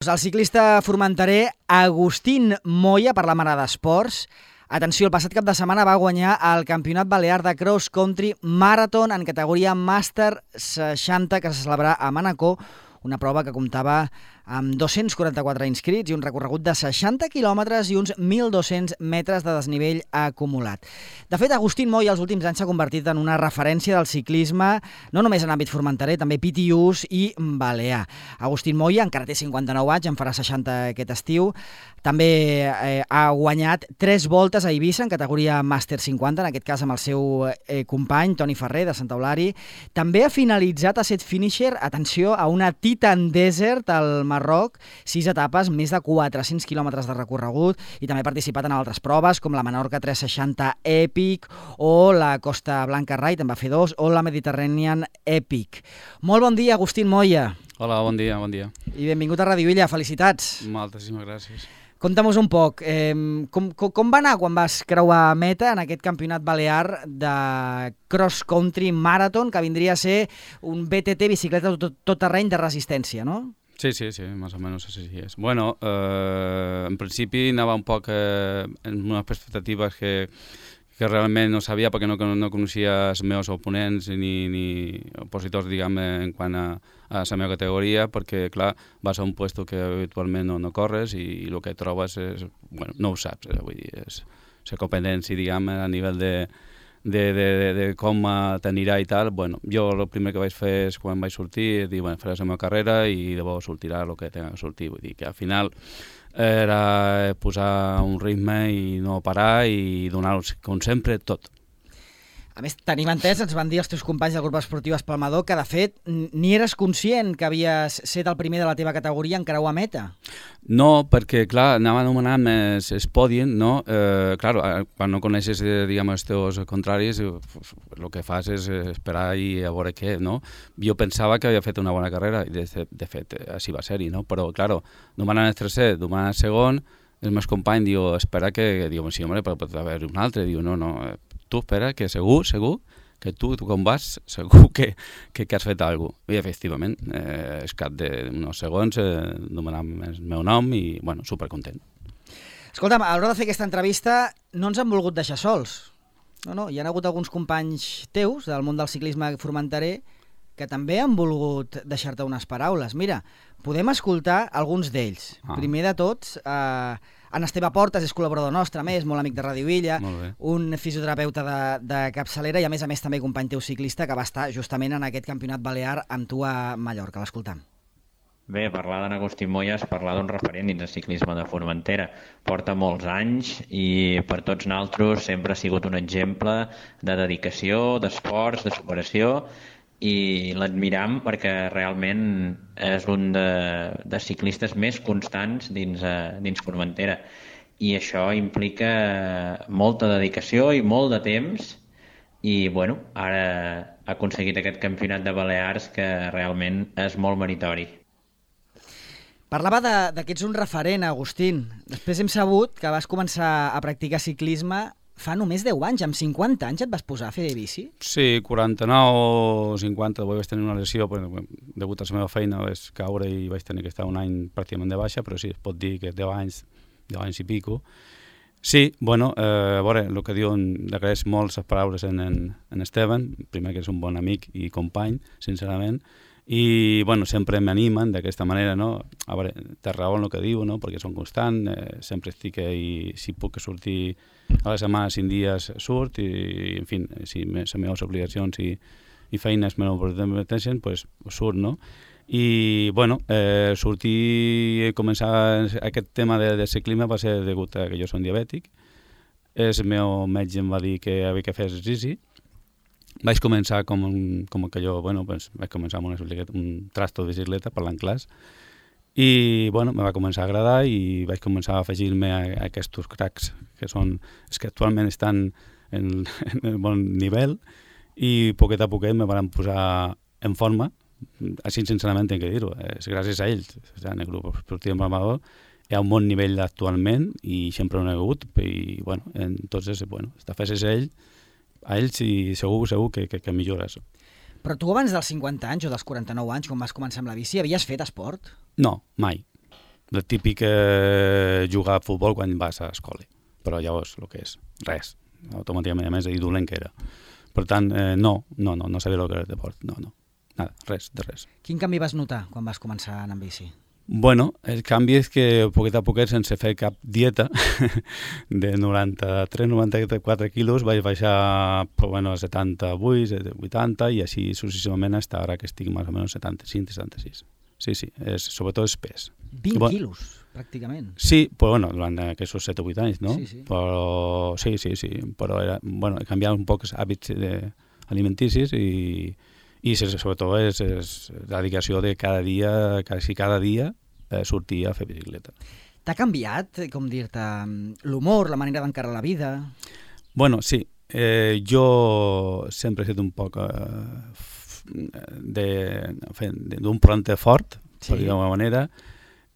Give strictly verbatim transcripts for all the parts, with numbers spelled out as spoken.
El ciclista formenterer Agustín Moya, per la Mare d'Esports. Atenció, el passat cap de setmana va guanyar el Campionat Balear de Cross Country Marathon en categoria Màster seixanta, que se celebrarà a Manacor, una prova que comptava amb dos-cents quaranta-quatre inscrits i un recorregut de seixanta quilòmetres i uns mil dos-cents metres de desnivell acumulat. De fet, Agustín Moya els últims anys s'ha convertit en una referència del ciclisme, no només en àmbit formenterer, també P T Us i balear. Agustín Moya encara té cinquanta-nou anys, en farà seixanta aquest estiu. També eh, ha guanyat tres voltes a Eivissa en categoria Màster cinquanta, en aquest cas amb el seu eh, company, Toni Ferrer, de Santa Eulària. També ha finalitzat a set finisher, atenció, a una Titan Desert al Marroc, sis etapes, més de quatre-cents quilòmetres de recorregut, i també ha participat en altres proves, com la Menorca tres seixanta Epic, o la Costa Blanca Ride, en va fer dos, o la Mediterranean Epic. Molt bon dia, Agustín Moya. Hola, bon dia, bon dia. I benvingut a Radio Illa, felicitats. Moltíssimes gràcies. Conta'm-nos un poc, eh, com, com, com va anar quan vas creuar meta en aquest campionat balear de Cross Country Marathon, que vindria a ser un B T T, bicicleta tot, tot terreny de resistència, no? Sí, sí, sí, más o menos així és. Bueno, eh, en principi anava un poc eh, en unes expectatives que, que realment no sabia perquè no, no coneixia els meus oponents ni, ni opositors, diguem, en quant a, a la meva categoria, perquè, clar, vas a un puesto que habitualment no, no corres i, i el que trobes és, bueno, no ho saps, eh, vull dir, és la competència, diguem, a nivell de, de, de, de, de com t'anirà i tal. Bueno, jo el primer que vaig fer és, quan vaig sortir, dir, bueno, faràs la meva carrera i llavors sortirà el que tenga que sortir, vull dir que al final era posar un ritme i no parar i donar-ho, com sempre, tot. A més, tenim entès, ens van dir els teus companys del grup esportiu Espalmador, que de fet ni eres conscient que havies set el primer de la teva categoria en creuar meta. No, perquè, clar, anava anomenant més el pòdium, no? Eh, clar, quan no coneixes, eh, diguem, els teus contraris, el eh, que fas és esperar i a veure què, no? Jo pensava que havia fet una bona carrera, i de, de fet, així va ser-hi, no? Però, clar, no m'han anat el tercer, no m'han anat el segon, el meu company diu, espera que, diu, sí, home, però pot haver un altre, diu, no, no, tu espera, que segur, segur, que tu, tu com vas, segur que, que, que has fet alguna cosa. I efectivament, eh, és cap d'uns segons, eh, nomenant el meu nom i, bueno, supercontent. Escolta'm, a l'hora de fer aquesta entrevista no ens han volgut deixar sols. No, no, hi ha hagut alguns companys teus del món del ciclisme formenterer que també han volgut deixar-te unes paraules. Mira, podem escoltar alguns d'ells. Ah. Primer de tots, eh, en Esteve Portes és col·laborador nostre, més, molt amic de Radio Illa, un fisioterapeuta de, de capçalera i a més a més també company teu ciclista que va estar justament en aquest campionat balear amb tu a Mallorca. L'escoltam. Bé, parlar d'en Agustín Moya és parlar d'un referent dins del ciclisme de Formentera. Porta molts anys i per tots nosaltres sempre ha sigut un exemple de dedicació, d'esforç, de superació, i l'admiram perquè realment és un de, de ciclistes més constants dins, uh, dins Formentera, i això implica molta dedicació i molt de temps i bueno, ara ha aconseguit aquest campionat de Balears que realment és molt meritori. Parlava de, de que ets un referent, Agustín. Després hem sabut que vas començar a practicar ciclisme fa només deu anys, amb cinquanta anys et vas posar a fer de bici? Sí, quaranta-nou o cinquanta, vaig tenir una lesió, però degut a la meva feina vaig caure i vaig tenir que estar un any pràcticament de baixa, però sí, es pot dir que deu anys, deu anys i pico. Sí, bueno, eh, a veure, el que diuen, d'agraeix molt les paraules en, en, en Esteban, primer que és un bon amic i company, sincerament, i bueno, sempre m'animen d'aquesta manera, no? A veure, té raó en el que diu, no? Perquè són constant, eh, sempre estic i si puc sortir a la setmana cinc dies surt i, en fi, si les meves obligacions i, i feines me ho permeteixen, doncs pues, surt, no? I, bueno, eh, sortir i començar aquest tema de, de ciclisme va ser degut a que jo som diabètic. El meu metge em va dir que havia que fer exercici. Vaig començar com, com que jo, bueno, pues, vaig començar amb una, un trasto de bicicleta parlant clars i, bueno, me va començar a agradar i vaig començar a afegir-me a, a aquests cracs que són, és que actualment estan en, en el bon nivell i poquet a poquet me van posar en forma, així sincerament tinc que dir-ho, és gràcies a ells, en el grup esportiu Empalmador hi ha un bon nivell actualment i sempre ho he hagut i, bueno, entonces, bueno, està fes és ell a ells i segur, segur que, que, que millora això. Però tu abans dels cinquanta anys o dels quaranta-nou anys, quan vas començar amb la bici, havies fet esport? No, mai. el típic eh, jugar a futbol quan vas a escola, però llavors el que és, res, automàticament, a més, i dolent que era. Per tant, eh, no, no, no, no sabia el que era el deport, no, no, nada, res, de res. Quin canvi vas notar quan vas començar a anar amb bici? Bueno, el canvi és que poquet a poquet, sense fer cap dieta, de noranta-tres a noranta-quatre quilos vaig baixar però, bueno, a setanta-vuit, vuitanta i així successivament fins ara que estic més o menys setanta-cinc setanta-sis. Sí, sí, és, sobretot és pes. vint bueno, quilos, pràcticament. Sí, però bueno, durant aquests set o vuit anys, no? Sí, sí. Però sí, sí, sí, però era, bueno, he canviat un poc els hàbits de, alimenticis i i sobretot és, és la dedicació de cada dia, quasi cada dia, eh, sortir a fer bicicleta. T'ha canviat, com dir-te, l'humor, la manera d'encarar la vida? Bueno, sí. Eh, jo sempre he estat un poc eh, d'un planter fort, sí. Per dir d'alguna manera,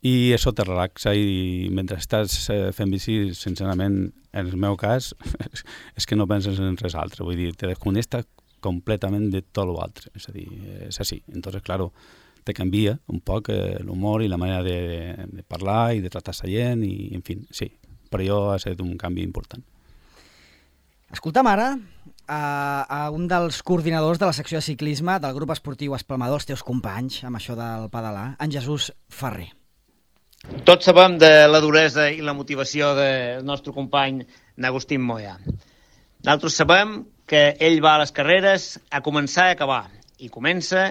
i això te relaxa i mentre estàs eh, fent bici, sincerament, en el meu cas, és que no penses en res altre. Vull dir, te desconnectes completament de tot l'altre, és a dir, és així. Entonces, claro, te canvia un poc eh, l'humor i la manera de, de parlar i de tractar la gent i, en fi, sí, per jo ha estat un canvi important. Escolta'm ara a, a un dels coordinadors de la secció de ciclisme del grup esportiu Espalmador, els teus companys, amb això del pedalar, en Jesús Ferrer. Tots sabem de la duresa i la motivació del nostre company Agustín Moya. Nosaltres sabem que ell va a les carreres a començar i acabar, i comença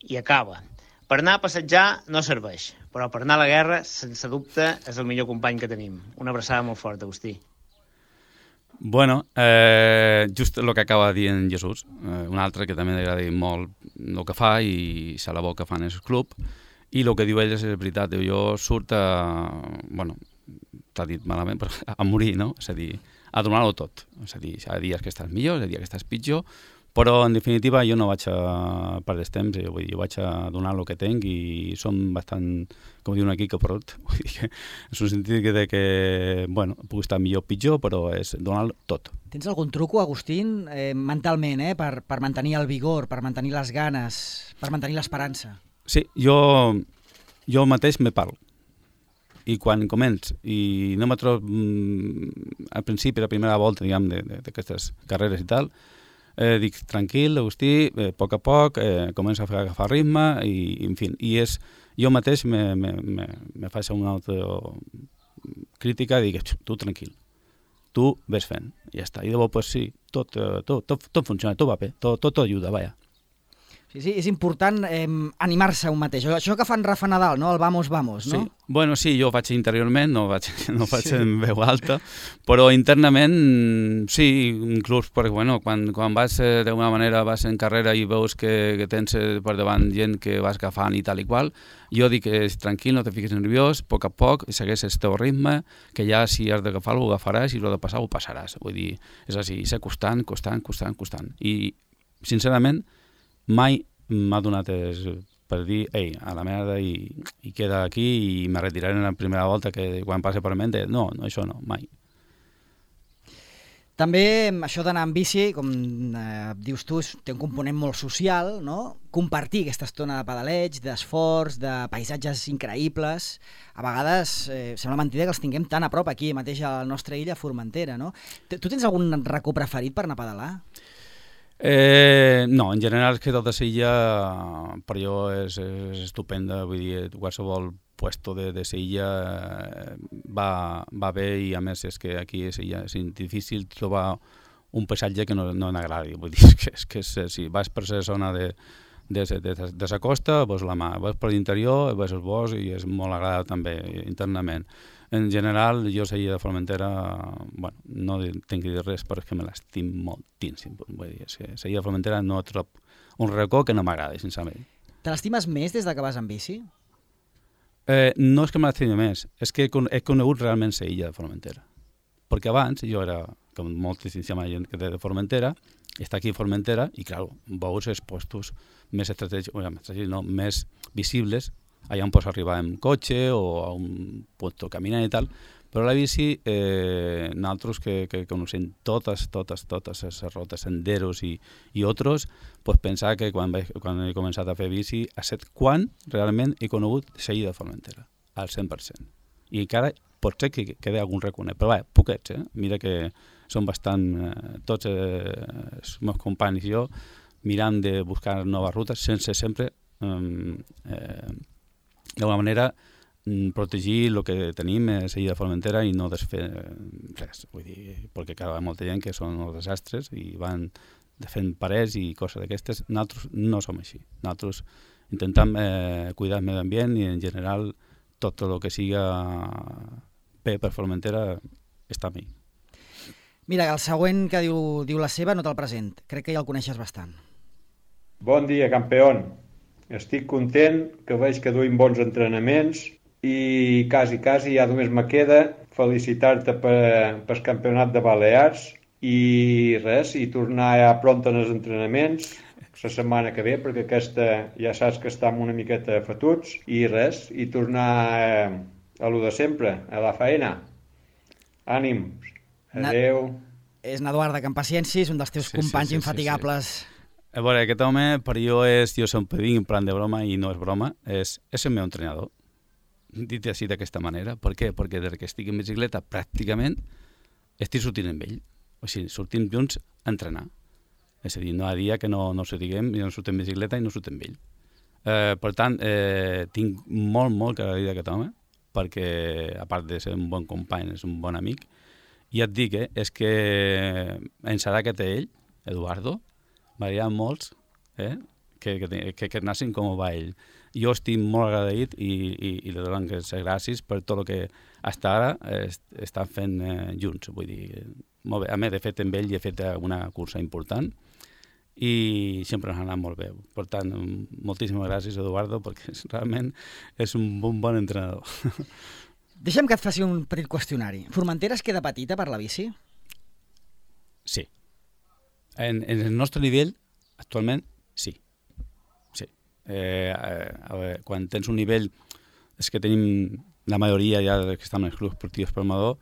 i acaba. Per anar a passejar no serveix, però per anar a la guerra, sense dubte, és el millor company que tenim. Una abraçada molt forta, Agustí. Bueno, eh, just el que acaba de dir en Jesús, eh, un altre que també li agrada molt el que fa i se la bo que fan en el club, i el que diu ell és veritat, jo surt a, bueno, t'ha dit malament, però a morir, no? És a dir, a donar-ho tot. És a dir, hi ha dies que estàs millor, hi ha dies que estàs pitjor, però en definitiva jo no vaig a perdre temps, vull dir, jo vaig a donar el que tinc i som bastant, com diuen aquí, caporrot. Vull dir que és un sentit que, de que, bueno, puc estar millor o pitjor, però és donar tot. Tens algun truco, Agustín, eh, mentalment, eh, per, per mantenir el vigor, per mantenir les ganes, per mantenir l'esperança? Sí, jo, jo mateix me parlo. I quan començ, i no me trobo mm, al principi, la primera volta, diguem, d'aquestes carreres i tal, eh, dic, tranquil, Agustí, eh, a poc a poc, eh, comença a agafar ritme, i, en fi, i és, jo mateix me, me, me, me faig una autocrítica i dic, tu tranquil, tu ves fent, i ja està. I llavors, pues sí, tot, tot, tot, tot funciona, tot va bé, tot, tot ajuda, vaja. Sí, sí, és important eh, animar-se un mateix. Això que fan Rafa Nadal, no? El vamos, vamos, no? Sí. Bueno, sí, jo ho faig interiorment, no ho faig, no ho faig sí. en veu alta, però internament sí, inclús perquè, bueno, quan, quan vas eh, d'alguna manera vas en carrera i veus que, que tens eh, per davant gent que vas agafant i tal i qual, jo dic que és tranquil, no te fiquis nerviós, a poc a poc, segueix el teu ritme, que ja si has d'agafar-lo, ho agafaràs, i si ho has de passar, ho passaràs. Vull dir, és així, ser constant, constant, constant, constant. I, sincerament, mai m'ha donat es, per dir, ei, a la merda i, i queda aquí i me retiraré en la primera volta que quan passe per mente, no, no, això no, mai. També això d'anar amb bici, com eh, dius tu, té un component molt social, no? Compartir aquesta estona de pedaleig, d'esforç, de paisatges increïbles. A vegades eh, sembla mentida que els tinguem tan a prop aquí mateix a la nostra illa, Formentera, no? Tu tens algun racó preferit per anar a pedalar? Eh, no, en general és que tota l'illa per jo és, és estupenda, vull dir, qualsevol puesto de, de l'illa va, va bé i a més és que aquí és, és difícil trobar un paisatge que no, no n'agradi, vull dir, és que, és que és, si vas per la zona de, de, de, de la costa, veus la mà, vas per l'interior, veus el bosc i és molt agradable també internament. En general, jo a l'illa de Formentera, bueno, no tinc que dir res perquè me l'estim moltíssim. Vull dir, és que a l'illa de Formentera no trob un racó que no m'agrada, sincerament. Te l'estimes més des de que vas amb bici? Eh, no és que me l'estimi més, és que he conegut realment l'illa de Formentera. Perquè abans jo era, com moltíssima gent de Formentera, està aquí a Formentera i, clar, veus els postos més estratègics, no, més visibles, allà on pots arribar en cotxe o a un puesto caminant i tal, però la bici, eh, nosaltres que, que coneixem totes, totes, totes les rotes, senderos i, i altres, pues pensar que quan, vaig, quan he començat a fer bici ha estat quan realment he conegut l'illa de Formentera. al cent per cent. I encara pot ser que quedi algun reconegut, però bé, poquets, eh? Mira que són bastant, eh, tots eh, els meus companys i jo, mirant de buscar noves rutes sense sempre, eh, eh, d'alguna manera, protegir el que tenim a la illa de Formentera i no desfer res. Vull dir, perquè cada molta gent que són els desastres i van fent parets i coses d'aquestes. Nosaltres no som així. Nosaltres intentem eh, cuidar el medi ambient i en general tot el que siga bé per Formentera està a mi. Mira, el següent que diu, diu la seva no te'l present. Crec que ja el coneixes bastant. Bon dia, campió. Estic content que veig que duim bons entrenaments i quasi, quasi ja només me queda felicitar-te per, pel campionat de Balears i res, i tornar ja pront en els entrenaments la setmana que ve, perquè aquesta ja saps que estem una miqueta fatuts, i res, i tornar eh, a lo de sempre, a la feina. Ànims. Adéu. Na... És Eduard de Campaciència, és un dels teus sí, companys sí, sí, infatigables. Sí, sí. A veure, aquest home per jo és, jo sempre dic en plan de broma i no és broma, és, és el meu entrenador. Dit així d'aquesta manera. Per què? Perquè des que estic en bicicleta pràcticament estic sortint amb ell. O sigui, sortim junts a entrenar. És a dir, no hi ha dia que no, no sortiguem, jo no surto en bicicleta i no surto amb ell. Eh, per tant, eh, tinc molt, molt que agrair d'aquest home, perquè a part de ser un bon company, és un bon amic. I et dic, eh, és que ens serà que té ell, Eduardo, m'agradaria molts, eh, que, que, que, que nassin com va ell. Jo estic molt agraït i, i, i li dono les gràcies per tot el que fins ara est, estan fent eh, junts. Vull dir, molt bé. A més, de fet, amb ell he fet una cursa important i sempre ens ha anat molt bé. Per tant, moltíssimes gràcies, Eduardo, perquè realment és un bon, bon entrenador. Deixa'm que et faci un petit qüestionari. Formentera es queda petita per la bici? Sí. En, en el nostre nivell, actualment, sí. Eh, a veure, quan tens un nivell, és que tenim la majoria ja que estan en els clubs esportius per Amador,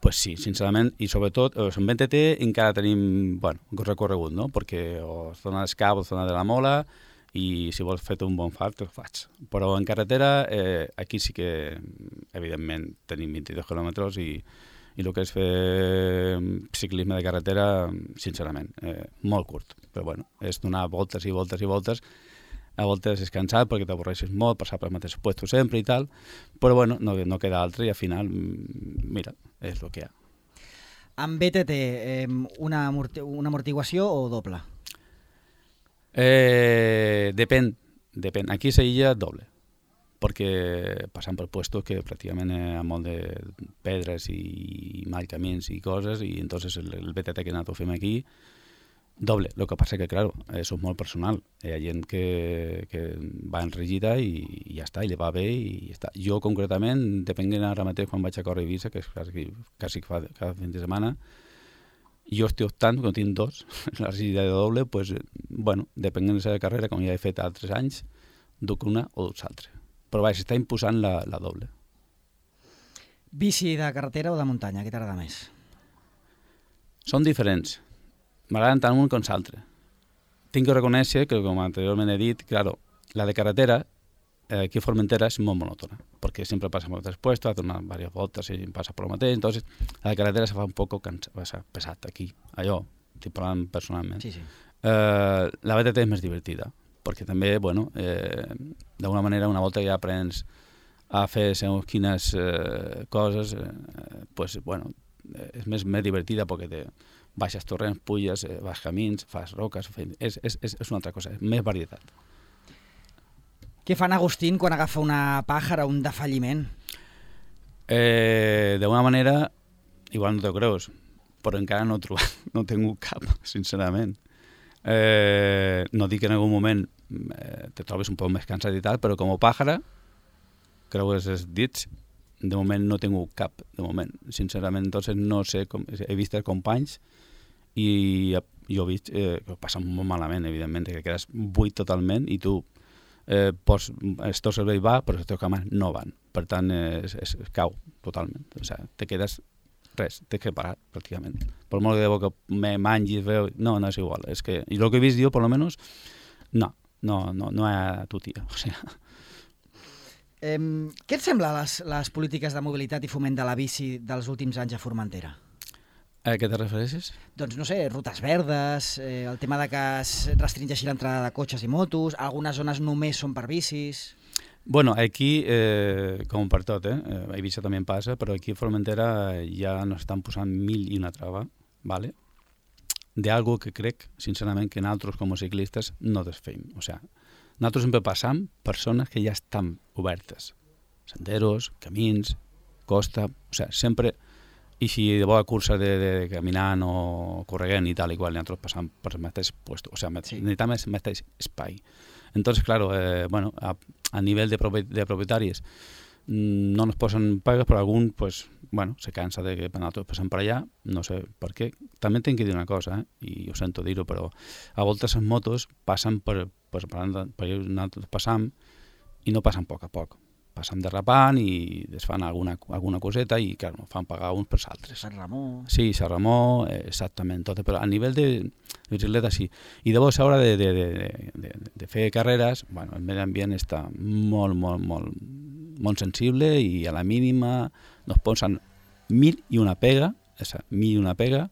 pues sí, sincerament, i sobretot en B T T encara tenim, bueno, un recorregut, no? Perquè o zona d'escap o zona de la Mola, i si vols fer un bon fart, ho faig. Però en carretera, eh, aquí sí que, evidentment, tenim vint-i-dos quilòmetres i, i el que és fer ciclisme de carretera, sincerament, eh, molt curt. Però bueno, és donar voltes i voltes i voltes. A voltes és cansat perquè t'avorreixes molt, passar pel mateix puesto sempre i tal, però bueno, no, no queda altre i al final, mira, és el que hi ha. Amb B T T, eh, una, amorti una amortiguació o doble? Eh, depèn, depèn. Aquí a l'illa doble, perquè passant per puestos que pràcticament hi ha molt de pedres i mal camins i coses, i entonces el, el B T T que nosaltres fem aquí, doble. El que passa que, claro, això és molt personal. Hi ha gent que, que va enregida i, i ja està, i li va bé i ja està. Jo, concretament, depenent ara mateix quan vaig a córrer a Eivissa, que és quasi, quasi cada, cada fin de setmana, jo estic optant, quan tinc dos, la rigida de doble, pues, bueno, depenent de la carrera, com ja he fet altres anys, duc una o duc l'altra. Però vaja, s'està imposant la, la doble. Bici de carretera o de muntanya, què t'agrada més? Són diferents. M'agraden tant un com l'altre. Tinc que reconèixer que, com anteriorment he dit, claro, la de carretera, eh, aquí a Formentera, és molt monòtona, perquè sempre passa per altres puestos, ha donat diverses voltes i passa per el mateix, entonces la de carretera se fa un poc pesat aquí, allò, estic parlant personalment. Sí, sí. Eh, la B T T és més divertida, perquè també, bueno, eh, d'alguna manera, una volta que ja aprens a fer segons quines eh, coses, eh, pues, bueno, és més, més divertida perquè te baixes torrents, pulles, eh, vas camins, fas roques, és, és, és una altra cosa, és més varietat. Què fan Agustín quan agafa una pàjara o un defalliment? Eh, D'una manera, igual no t'ho creus, però encara no he trobat, no he tingut cap, sincerament. Eh, no dic que en algun moment eh, te trobes un poc més cansat i tal, però com a pàjara, creues els dits, de moment no he tingut cap, de moment. Sincerament, entonces no sé, com, he vist els companys i jo he vist eh, que ho passa molt malament, evidentment, que quedes buit totalment i tu eh, pots, el teu cervell va, però les teves cames no van. Per tant, eh, es, es, es cau totalment. O sigui, te quedes res, tens que parar, pràcticament. Per molt que de bo que me mangis, veu, no, no és igual. És que, i el que he vist jo, per lo menos, no, no, no, no hi ha tutia. O sigui. Eh, què et sembla les, les polítiques de mobilitat i foment de la bici dels últims anys a Formentera? A què te refereixes? Doncs, no sé, rutes verdes, eh, el tema de que es restringeixi l'entrada de cotxes i motos, algunes zones només són per bicis... Bueno, aquí, eh, com per tot, eh, a Eivissa també passa, però aquí a Formentera ja nos estan posant mil i una trava, ¿vale? De algo que crec, sincerament, que nosaltres com a ciclistes no desfeim. O sea, nosaltres sempre passam per zones que ja estan obertes. Senderos, camins, costa... O sea, sempre... I si de bona cursa de, de caminant o corregant i tal, igual, nosaltres passam per el mateix puesto. O sea, sí. Necessitam el mateix espai. Entonces, claro, eh, bueno, a, a nivel de, propi de propietaris no nos posen pagues, però algun, pues, bueno, se cansa de que nosaltres passem per allà, no sé per què. També tinc que dir una cosa, eh, i ho sento dir-ho, però a voltes les motos passen per, per, per, per nosaltres passam i no passen a poc a poc. Passen derrapant i es fan alguna, alguna coseta i, clar, fan pagar uns per altres. Sant Ramó... Sí, Sant Ramó, eh, exactament, tot, però a nivell de, de bicicleta sí. I llavors, a l'hora de, de, de, de, de fer carreres, bueno, el medi ambient està molt, molt, molt, molt sensible i a la mínima nos posen mil i una pega, esa, mil i una pega,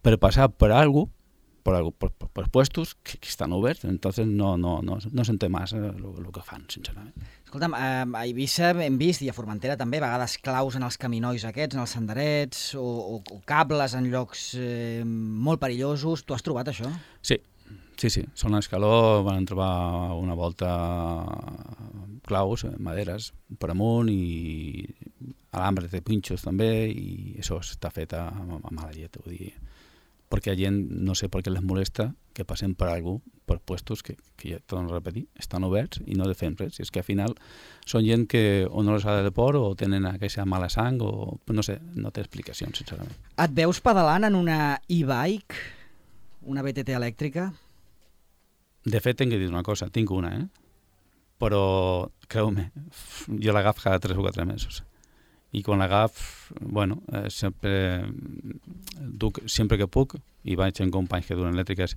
per passar per algo, per, algo, per, per, per puestos que, que estan oberts, entonces no, no, no, no s'entén massa el que fan, sincerament. Escolta'm, a Eivissa hem vist, i a Formentera també, a vegades claus en els caminois aquests, en els senderets, o, o, o cables en llocs eh, molt perillosos. Tu has trobat això? Sí, sí, sí. Són l'escaló, van trobar una volta claus, maderes, per amunt, i alambres de pinxos també, i això està fet a, a mala llet, vull dir. Perquè la gent, no sé per què les molesta, que passen per algú, per puestos que, que ja torno a repetir, estan oberts i no defen res. I és que al final són gent que o no les ha de por o tenen aquesta mala sang o no sé, no té explicacions, sincerament. Et veus pedalant en una e-bike, una B T T elèctrica? De fet, tinc que dir una cosa, tinc una, eh? Però, creu-me, jo l'agaf cada tres o quatre mesos. I quan l'agaf, bueno, eh, sempre duc, sempre que puc, i vaig amb companys que duen elèctriques,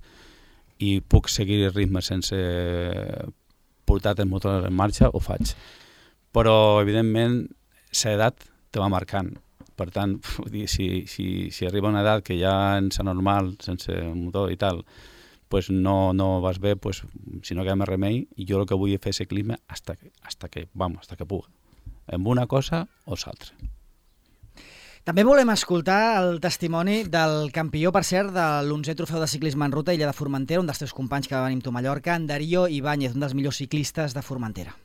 i puc seguir el ritme sense portar el motor en marxa, ho faig. Però, evidentment, l'edat te va marcant. Per tant, si, si, si arriba una edat que ja ens és normal, sense motor i tal, pues no, no vas bé, pues, si no queda més remei, i jo el que vull és fer ciclisme hasta que, hasta que, vamos, hasta que puga. En una cosa o l'altra. També volem escoltar el testimoni del campió, per cert, de l'onzè trofeu de ciclisme en ruta Illa de Formentera, un dels teus companys que va venir amb tu a Mallorca, en Darío Ibáñez, un dels millors ciclistes de Formentera.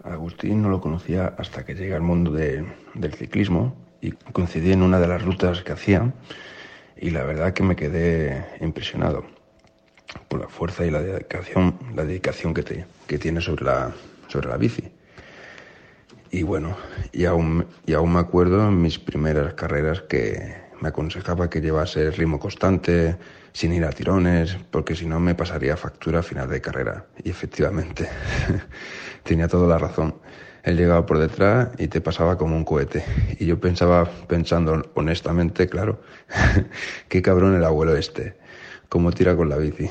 Agustín no lo conocía hasta que llegué al mundo de, del ciclismo y coincidí en una de las rutas que hacía y la verdad que me quedé impresionado por la fuerza y la dedicación, la dedicación que, te, que tiene sobre la, sobre la bici. Y bueno, y aún, y aún me acuerdo en mis primeras carreras que me aconsejaba que llevase ritmo constante, sin ir a tirones, porque si no me pasaría factura a final de carrera. Y efectivamente, tenía toda la razón. Él llegaba por detrás y te pasaba como un cohete. Y yo pensaba, pensando honestamente, claro, qué cabrón el abuelo este, cómo tira con la bici.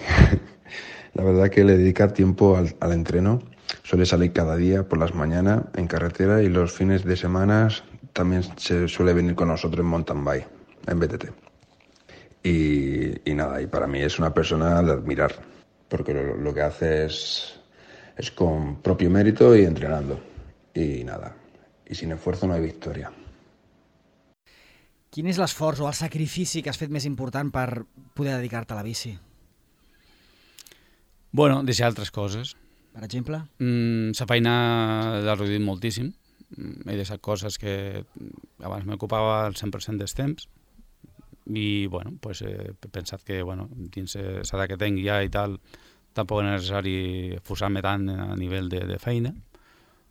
La verdad que le dedica tiempo al, al entreno. Suele salir cada día por las mañanas en carretera y los fines de semana también se suele venir con nosotros en mountain bike, en B T T. Y, y nada, y para mí es una persona de admirar, porque lo, lo que hace es, es con propio mérito y entrenando. Y nada, y sin esfuerzo no hay victoria. Quin és l'esforç o el sacrifici que has fet més important per poder dedicar-te a la bici? Bueno, deixar altres coses. Per exemple? Mm, la feina l'ha reduït moltíssim. He deixat coses que abans m'ocupava el cent per cent dels temps i bueno, pues, he pensat que bueno, dins l'edat que tinc ja i tal tampoc és necessari esforçar-me tant a nivell de, de feina.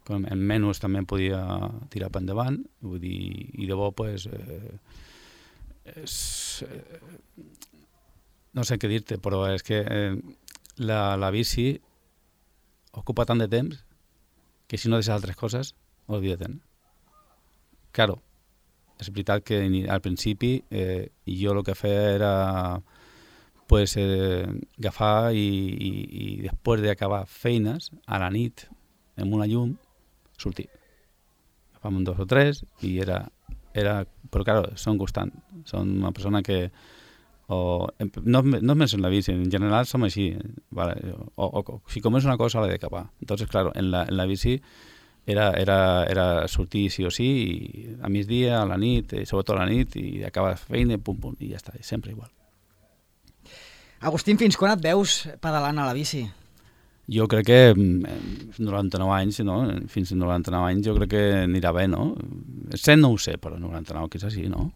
Com en menys també em podia tirar per endavant, vull dir, i de bo pues, eh, és, eh, no sé què dir-te, però és que eh, la, la bici ocupa tant de temps que si no deixes altres coses, olvida-te'n. Claro, és veritat que al principi eh, jo el que feia era pues, eh, agafar i, i, i després d'acabar feines a la nit amb una llum sortir. Agafàvem dos o tres i era... era però, clar, són constant. Són una persona que... O, no, no només en la bici, en general som així. Vale? O, o, o, si comença una cosa, l'he d'acabar. Entonces, claro, en la, en la bici era, era, era sortir sí o sí, i a migdia, a la nit, i sobretot a la nit, i acabar la feina, pum, pum, i ja està, sempre igual. Agustín, fins quan et veus pedalant a la bici? Jo crec que noranta-nou anys, no? Fins a noranta-nou anys jo crec que anirà bé, no? cent no ho sé, però noranta-nou quizás sí, no?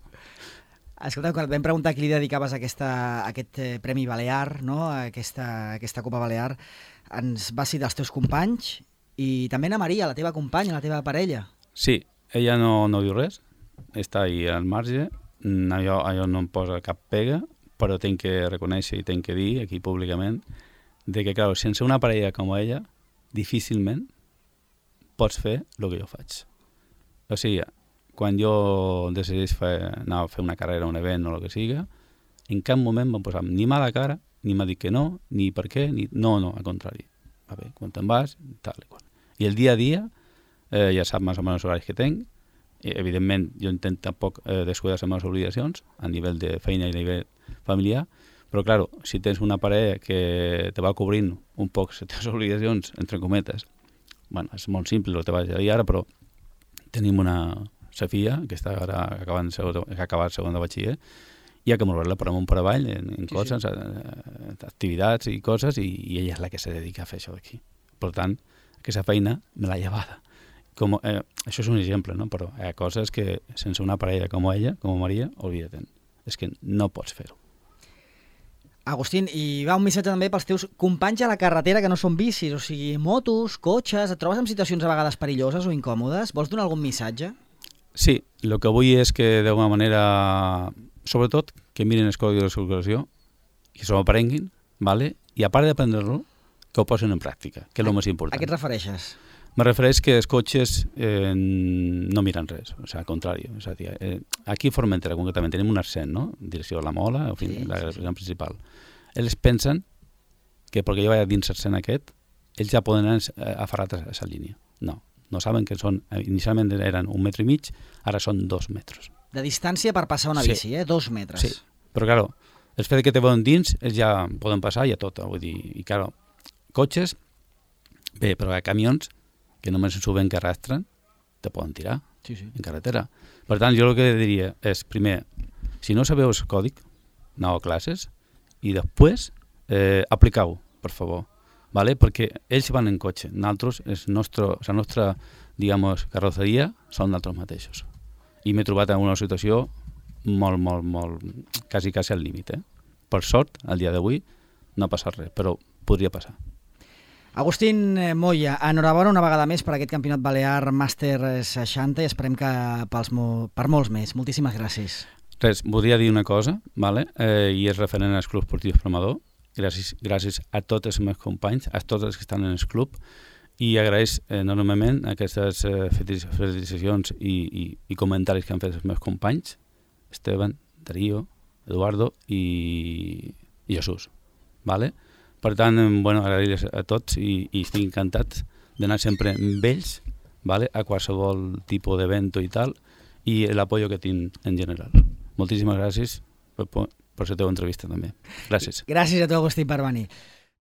Escolta, quan et vam preguntar a qui li dedicaves aquesta, aquest eh, Premi Balear, no? aquesta, aquesta Copa Balear, ens vas citar els teus companys i també Ana Maria, la teva companya, la teva parella. Sí, ella no, no diu res, està ahí al marge, allò, allò no em posa cap pega, però tinc que reconèixer i tinc que dir aquí públicament de que, clar, sense una parella com ella, difícilment pots fer el que jo faig. O sigui, quan jo decideix fer, anar a fer una carrera, un event o el que siga, en cap moment m'ha posat ni mala cara, ni m'ha dit que no, ni per què, ni... No, no, al contrari. Va bé, quan te'n vas, tal i qual. I el dia a dia, eh, ja sap més o menys els horaris que tenc, i, evidentment jo intento tampoc eh, descuidar les meves obligacions a nivell de feina i a nivell familiar, però, clar, si tens una parella que te va cobrint un poc les teves obligacions, entre cometes, bueno, és molt simple el que te vaig a dir ara, però tenim una Sofia, que està ara acabant segon, que ha acabat segon de batxiller, i ha que moure-la per amunt per avall en, en sí, coses, sí. activitats i coses, i, i ella és la que se dedica a fer això d'aquí. Per tant, aquesta feina me l'ha llevada. Com, eh, això és un exemple, no? Però hi ha coses que sense una parella com ella, com Maria, oblida-te'n. És que no pots fer-ho. Agustín, i va un missatge també pels teus companys a la carretera que no són bicis, o sigui, motos, cotxes, et trobes en situacions a vegades perilloses o incòmodes? Vols donar algun missatge? Sí, el que vull és que d'alguna manera, sobretot, que mirin els codis de circulació, que s'ho aprenguin, ¿vale? I a part d'aprendre-lo, que ho posin en pràctica, que és el més important. A què et refereixes? Me refereix que els cotxes eh, no miren res, o sigui, al contrari. O sigui, eh, aquí a Formentera, concretament, tenim un accent, no? Direcció de la Mola, en fi, sí, la direcció sí. principal. Ells pensen que perquè jo vaig dins l'accent aquest, ells ja poden anar aferrats a aquesta línia. No, no saben que són, inicialment eren un metre i mig, ara són dos metres. De distància per passar una sí. bici, eh? Dos metres. Sí, però, clar, el fet que te veuen dins, ells ja poden passar i a tot, vull dir, i, clar, cotxes, bé, però hi ha camions que només s'ho ven que arrastren, te poden tirar sí, sí. en carretera. Per tant, jo el que diria és, primer, si no sabeu el còdic, aneu a classes, i després eh, aplicau, per favor, ¿vale? Perquè ells van en cotxe, nosaltres, el nostre, la nostra, digamos, carrosseria són nosaltres mateixos. I m'he trobat en una situació molt, molt, molt, quasi, quasi al límit, eh? Per sort, al dia d'avui, no ha passat res, però podria passar. Agustín Moya, enhorabona una vegada més per aquest campionat balear Màster seixanta i esperem que pels mo- per molts més. Moltíssimes gràcies. Res, voldria dir una cosa, vale? eh, i és referent als clubs esportius Promador. Gràcies, gràcies a tots els meus companys, a tots els que estan en el club, i agraeix enormement aquestes eh, felicitacions i, i, i comentaris que han fet els meus companys, Esteban, Darío, Eduardo i, i Jesús. Vale? Per tant, bueno, agrair-los a tots i, i estic encantat d'anar sempre amb ells, vale? A qualsevol tipus d'event i tal, i l'apoyo que tinc en general. Moltíssimes gràcies per, per la teva entrevista també. Gràcies. Gràcies a tu, Agustín, per venir.